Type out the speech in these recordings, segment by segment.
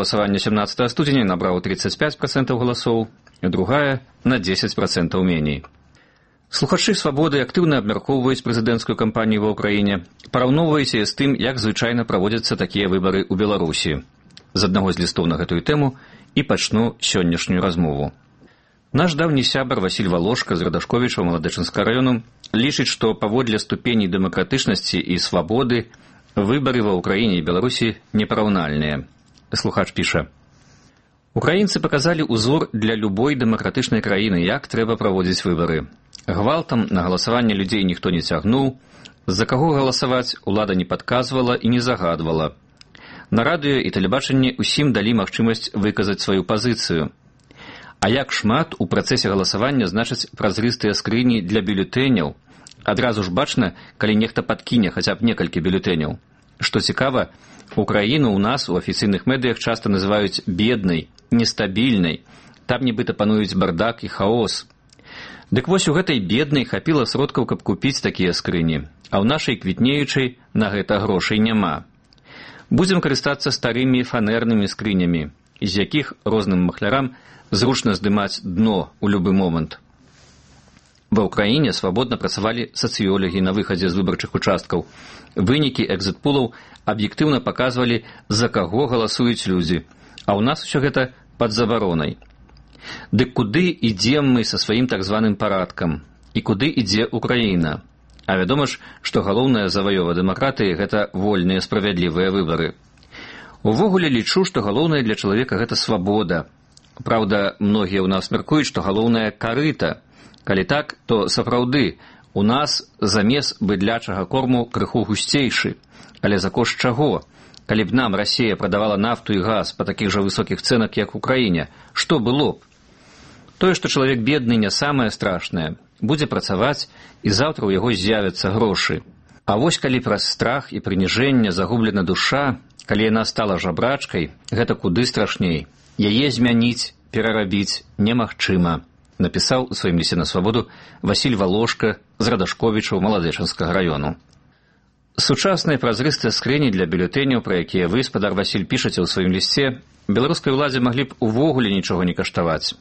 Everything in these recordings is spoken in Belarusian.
галасавання 17 студзеня набраў 35% галасоў, другая на 10% меней. Слухачы «Свабоды» актыўна абмяркоўваюць прэзідэнцкую кампанію ва ўкраіне, параўноўваюць яе з тым, як звычайна праводзяцца такія выбары ў Беларусі. З аднаго з лістоў на гэтую тэму і пачну сённяшнюю размову. Наш даўні сябар Васіль Валошка з Радашковіча Маладэчынскага раёну лічыць, што паводле ступеней дэмакратычнасці і свабоды выбары ва ўкраіне і Беларусі непараўнальныя. Слухач піша: «Украінцы паказалі ўзор для любой дэмакратычнай краіны, як трэба праводзіць выбары. Гвалтам на галасаванне людзей ніхто не цягнуў, за каго галасаваць улада не падказвала і не загадвала. На радыё і тэлебачанні ўсім далі магчымасць выказаць сваю пазіцыю. А як шмат у працэсе галасавання значаць празрыстыя скрыні для бюлетэняў. Адразу ж бачна, калі нехта падкіне хаця б некалькі бюлетэняў. Што цікава, Украіну ў нас у афіцыйных медыях часта называюць беднай, нестабільнай. Там нібыта пануюць бардак і хаос. Дык вось у гэтай беднай хапіла сродкаў, каб купіць такія скрыні, а ў нашай квітнеючай на гэта грошай няма. Будзем карыстацца старымі фанернымі скрынямі, з якіх розным махлярам зручна здымаць дно ў любы момант. Ва ўкраіне свабодна працавалі сацыёлагі на выхадзе з выбарчых участкаў. Вынікі экзіт-пулаў аб'ектыўна паказвалі, за каго галасуюць людзі, а ў нас усё гэта пад забаронай. Дык куды ідзем мы са сваім так званым парадкам? І куды ідзе Украіна? А вядома ж, што галоўная заваёва дэмакратыі – гэта вольныя справядлівыя выбары. Увогуле лічу, што галоўнае для чалавека – гэта свабода. Праўда, многія ў нас мяркуюць, што галоўнае – карыта. Калі так, то сапраўды у нас замес быдлячага корму крыху гусцейшы. Але за кошт чаго? Калі б нам Расія прадавала нафту і газ па такіх жа высокіх цэнах, як у краіне, што было б? Тое, што чалавек бедны, не самае страшнае. Будзе працаваць, і заўтра ў яго з'явяцца грошы. А вось калі праз страх і прыніжэнне загублена душа, калі яна стала жабрачкай, гэта куды страшней. Яе змяніць, перарабіць немагчыма, напісаў у сваім лісце на свабоду Васіль Валошка з Радашковіча Маладэчынскага раёну. Сучасныя празрыстыя скрыні для бюлетэняў, пра якія вы, спадар Васіль, пішаце ў сваім лісце, беларускай уладзе маглі б увогуле нічога не каштаваць.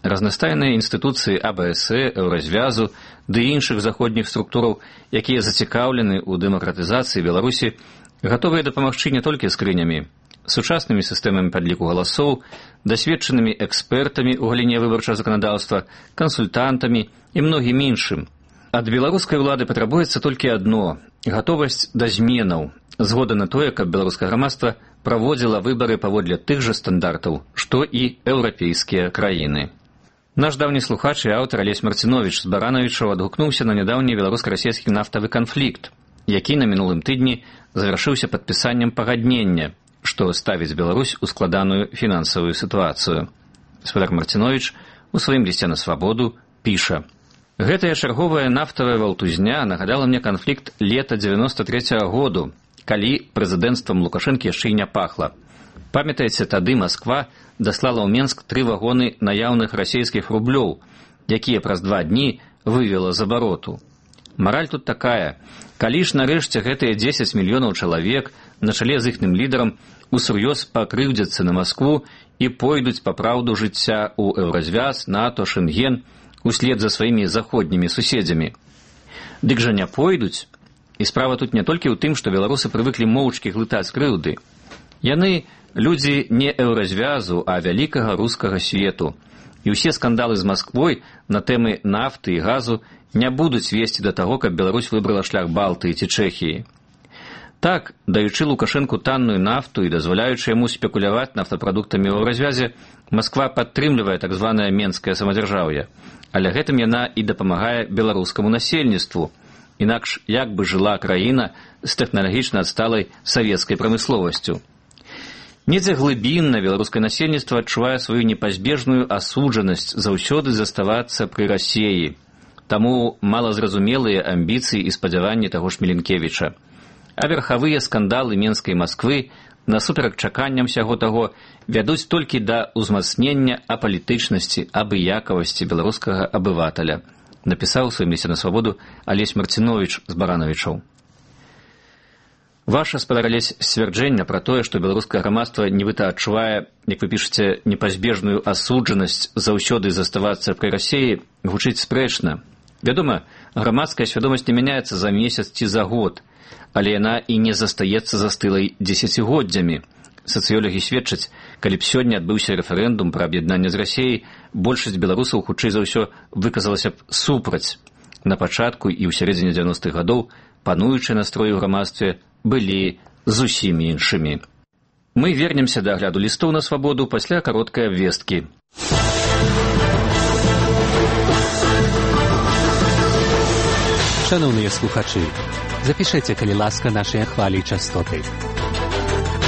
Разнастайныя інстытуцыі АБС, Еўразвязу ды іншых заходніх структураў, якія зацікаўлены ў дэмакратызацыі Беларусі, гатовыя дапамагчы не толькі скрынямі, сучаснымі сістэмамі падліку галасоў, дасведчанымі экспертамі ў галіне выбарчага заканадаўства, кансультантамі і многім іншым. Ад беларускай улады патрабуецца толькі адно – гатовасць да зменаў, згода на тое, каб беларускае грамадства праводзіла выбары паводле тых жа стандартаў, што і еўрапейскія краіны. Наш даўні слухач і аўтар Алесь Марціновіч з Баранавічаў адгукнуўся на нядаўні беларуска-расійскі нафтавы канфлікт, які на мінулым тыдні завяршыўся падпісаннем пагаднення, што ставіць Беларусь у складаную фінансавую сітуацыю. Спадар Марціновіч у сваім лісце на свабоду піша: «Гэтая чарговая нафтавая валтузня нагадала мне канфлікт лета 93-го году, калі прэзідэнцтвам Лукашэнкі яшчэ і не пахла. Памятаеце, тады Масква даслала ў Менск 3 вагоны наяўных расійскіх рублёў, якія праз 2 дні вывела з абароту. Мараль тут такая: калі ж нарэшце гэтыя 10 мільёнаў чалавек на чале з іхным лідарам усур'ёз пакрыўдзяцца на Маскву і пойдуць па праўду жыцця ў Еўразвяз, НАТО, Шэнген, услед за сваімі заходнімі суседзямі. Дык жа не пойдуць. І справа тут не толькі ў тым, што беларусы прывыклі моўчкі глытаць крыўды. Яны людзі не Еўразвязу, а вялікага рускага свету. І ўсе скандалы з Масквой на тэмы нафты і газу не будуць весці да таго, каб Беларусь выбрала шлях Балтыі ці Чэхіі. Так, даючы Лукашэнку танную нафту і дазваляючы яму спекуляваць нафтапрадуктамі ў Еўразвязе, Масква падтрымлівае так званае менскае самадзяржаўе, але гэтым яна і дапамагае беларускаму насельніцтву. Інакш як бы жыла краіна з тэхналагічна адсталай савецкай прамысловасцю. Недзе глыбінна беларускае насельніцтва адчувае сваю непазбежную асуджанасць заўсёды заставацца пры Расіі. Таму малазразумелыя амбіцыі і спадзяванні таго ж Міленкевіча. А верхавыя скандалы Менскай Масквы, насуперак чаканням сяго таго, вядуць толькі да ўзмацнення апалітычнасці, абыякавасці беларускага абываталя, напісаў у сваім лісце на свабоду Алесь Марціновіч з Баранавічаў. Ваша, спадар Алесь, сцвярджэнне пра тое, што беларускае грамадства нібыта адчувае, як вы пішаце, непазбежную асуджанасць заўсёды заставацца пры Расіі, гучыць спрэчна. Вядома, грамадская свядомасць не мяняецца за месяц ці за год, але яна і не застаецца застылай дзесяцігоддзямі. Сацыёлагі сведчаць, калі б сёння адбыўся рэферэндум пра аб'яднанне з Расіяй, большасць беларусаў хутчэй за ўсё выказалася б супраць. На пачатку і ў сярэдзіне 90-х гадоў пануючыя настроі ў грамадстве былі зусім іншымі. Мы вернемся да агляду лістоў на свабоду пасля кароткай абвесткі. Шановныя слухачы, запішыце, калі ласка, нашыя хвалі і частоты.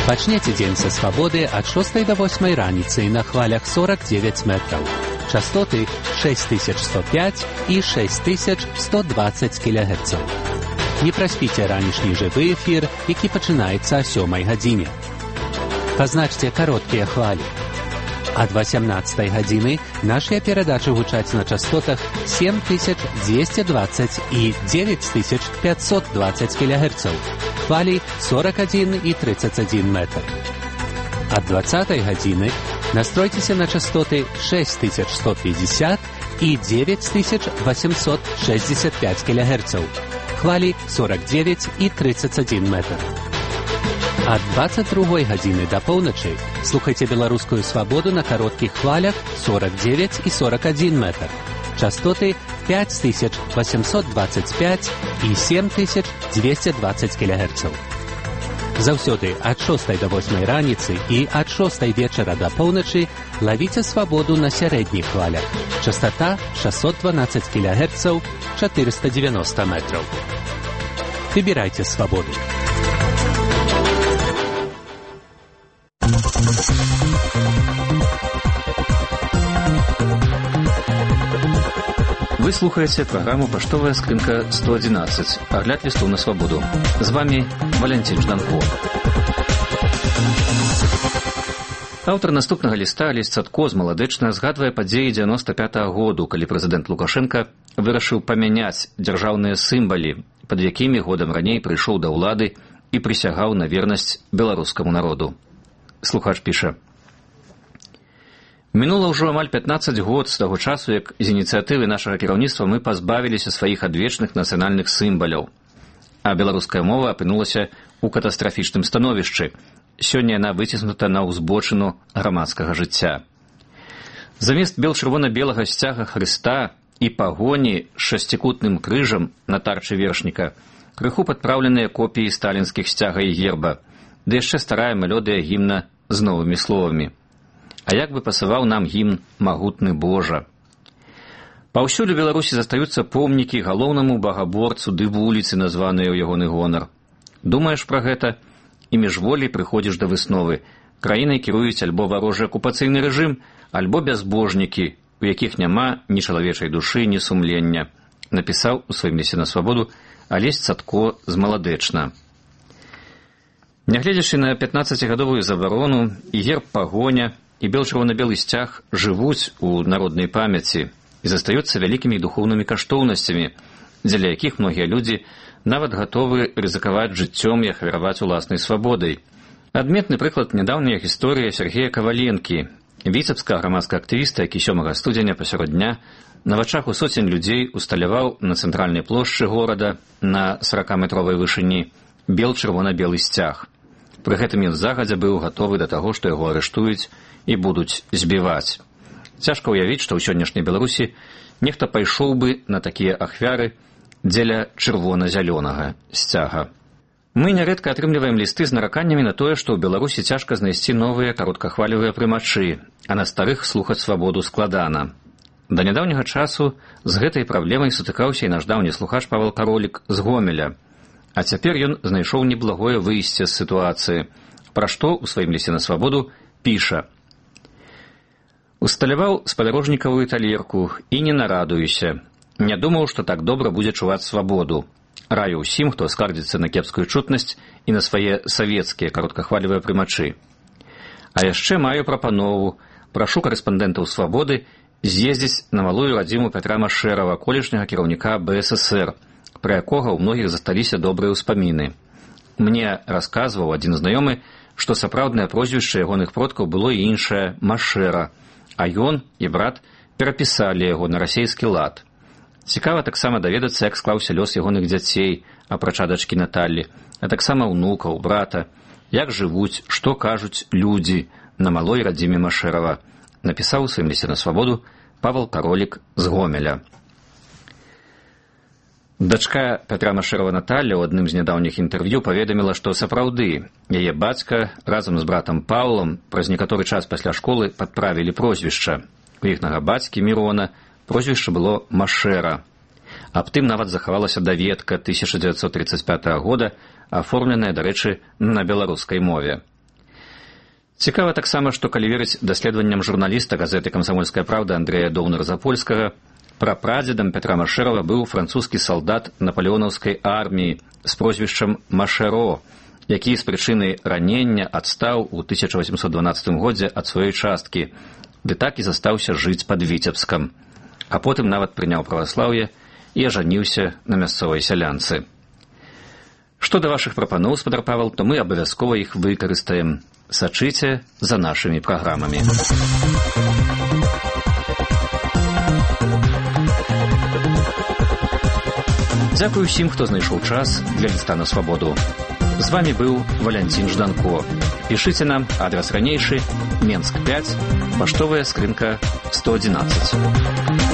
Пачнеце дзень са свабоды ад 6 до 8 раніцы на хвалях 49 метраў. Частоты 6105 і 6120 кГц. Не праспіце ранішні жывы эфір, які пачынаецца о 7 гадзіне. Пазначце кароткія хвалі. Ад 18 гадзіны нашыя перадачы гучаць на частотах 7220 і 9520 кГц. Хвалі 41 і 31 метр. Ад 20 гадзіны настройцеся на частоты 6150 і 9865 кГц. Хвалі 49 і 31 метр. Ад 22 гадзіны да поўначы слухайце беларускую свабоду на кароткіх хвалях 49 і 41 метр. Частоты 5825 і 7220 кГц. Заўсёды ад 6 до 8 раніцы і ад 6 вечара да поўначы лавіце свабоду на сярэдніх хвалях. Частота 612 кГц, 490 метров. Выбирайте свободу. Вы слухаете программу «Поштовая скринка 111». Огляд листов на свободу. С вами Валентин Жданко. Аўтар наступнага ліста Алесь Цадко змаладэчна згадвае падзеі 95-го году, калі прэзідэнт Лукашенко вырашыў памяняць дзяржаўныя сімвалы, пад якімі годам раней прыйшоў да ўлады і прысягаў на вернасць беларускаму народу. Слухач піша: «Мінула ўжо амаль 15 год з таго часу, як з ініцыятывы нашага кіраўніцтва мы пазбавіліся сваіх адвечных нацыянальных сімваляў, а беларуская мова апынулася ў катастрафічным становішчы. Сёння яна выціснута на ўзбочыну грамадскага жыцця. Замест бел-чырвона-белага сцяга Хрыста і пагоні з шасцікутным крыжам на тарчы вершніка крыху падпраўленыя копіі сталінскіх сцяга і герба, ды яшчэ старая мелодыя гімна з новымі словамі. А як бы пасаваў нам гімн «Магутны Божа». Паўсюль у Беларусі застаюцца помнікі галоўнаму багаборцу ды вуліцы, названыя ў ягоны гонар. Думаеш пра гэта? І міжволі прыходзіш да высновы. Краінай кіруюць альбо варожы акупацыйны рэжым, альбо бязбожнікі, у якіх няма ні чалавечай душы, ні сумлення, напісаў у сваім лісце на свабоду Алесь Цадко змаладэчна. Нягледзячы на 15-гадовую забарону, і герб пагоня, і бел-чырвона-белы сцяг жывуць у народнай памяці і застаюцца вялікімі духоўнымі каштоўнасцямі, дзеля якіх многія людзі нават гатовы рызыкаваць жыццём і ахвяраваць уласнай свабодай. Адметны прыклад нядаўняя гісторыя Сергея Каваленкі, віцебскага грамадскага актывіста, які 7 студзеня пасярод дня на вачах у соцень людзей усталяваў на цэнтральнай плошчы горада на 40-метровай вышыні бел-чырвона-белы сцяг. Пры гэтым ён загадзя быў гатовы да таго, што яго арыштуюць і будуць збіваць. Цяжка ўявіць, што ў сённяшняй Беларусі нехта пайшоў бы на такія ахвяры дзеля чырвона-зялёнага сцяга. Мы нярэдка атрымліваем лісты з нараканнямі на тое, што ў Беларусі цяжка знайсці новыя кароткахвалевыя прымачы, а на старых слухаць свабоду складана. Да нядаўняга часу з гэтай праблемай сутыкаўся і наш даўні слухач Павел Каролік з Гомеля. А цяпер ён знайшоў неблагое выйсце з сітуацыі, пра што ў сваім лісце на свабоду піша: «Усталяваў спадарожнікавую талерку і не нарадуюся. Не думаў, што так добра будзе чуваць свабоду. Раю ўсім, хто скардзіцца на кепскую чутнасць і на свае савецкія кароткахвалевыя прымачы. А яшчэ маю прапанову. Прашу карэспандэнтаў свабоды з'ездзіць на малую радзіму Пятра Машэрава, колішняга кіраўніка БССР, пра якога ў многіх засталіся добрыя ўспаміны. Мне расказваў адзін знаёмы, што сапраўднае прозвішча ягоных продкаў было і іншае Машэра, а ён і брат перапісалі яго на расейскі лад. Цікава таксама даведацца, як склаўся лёс ягоных дзяцей, апрача дачкі Наталлі, а таксама ўнукаў, брата, як жывуць, што кажуць людзі на малой радзіме Машэрава, напісаў у сваім лісце на свабоду Павел Каролік з Гомеля. Дачка Пятра Машэрава Наталля ў адным з нядаўніх інтэрв'ю паведаміла, што сапраўды яе бацька разам з братам Паўлам праз некаторы час пасля школы падправілі прозвішча. У іхнага бацькі Мірона прозвішча было Машэра. Аб тым нават захавалася даведка 1935 года, аформленая, дарэчы, на беларускай мове. Цікава таксама, што калі верыць даследаванням журналіста газеты «Камсамольская правда» Андрэя Доўнера-Запольскага, прапрадзедам Пятра Машэрава быў французскі салдат напалеонаўскай арміі з прозвішчам Машэро, які з прычыны ранення адстаў у 1812 годзе ад сваёй часткі, ды так і застаўся жыць пад Віцебскам, а потым нават прыняў праваслаўе і ажаніўся на мясцовай сялянцы. Што да вашых прапаноў, спадар Павел, то мы абавязкова іх выкарыстаем. Сачыце за нашымі праграмамі. Дзякую ўсім, хто знайшоў час для ліста на свабоду. З вами быў Валянцін Жданко. Пішыце нам, адрас ранейшы, Менск 5, паштовая скрынка 111.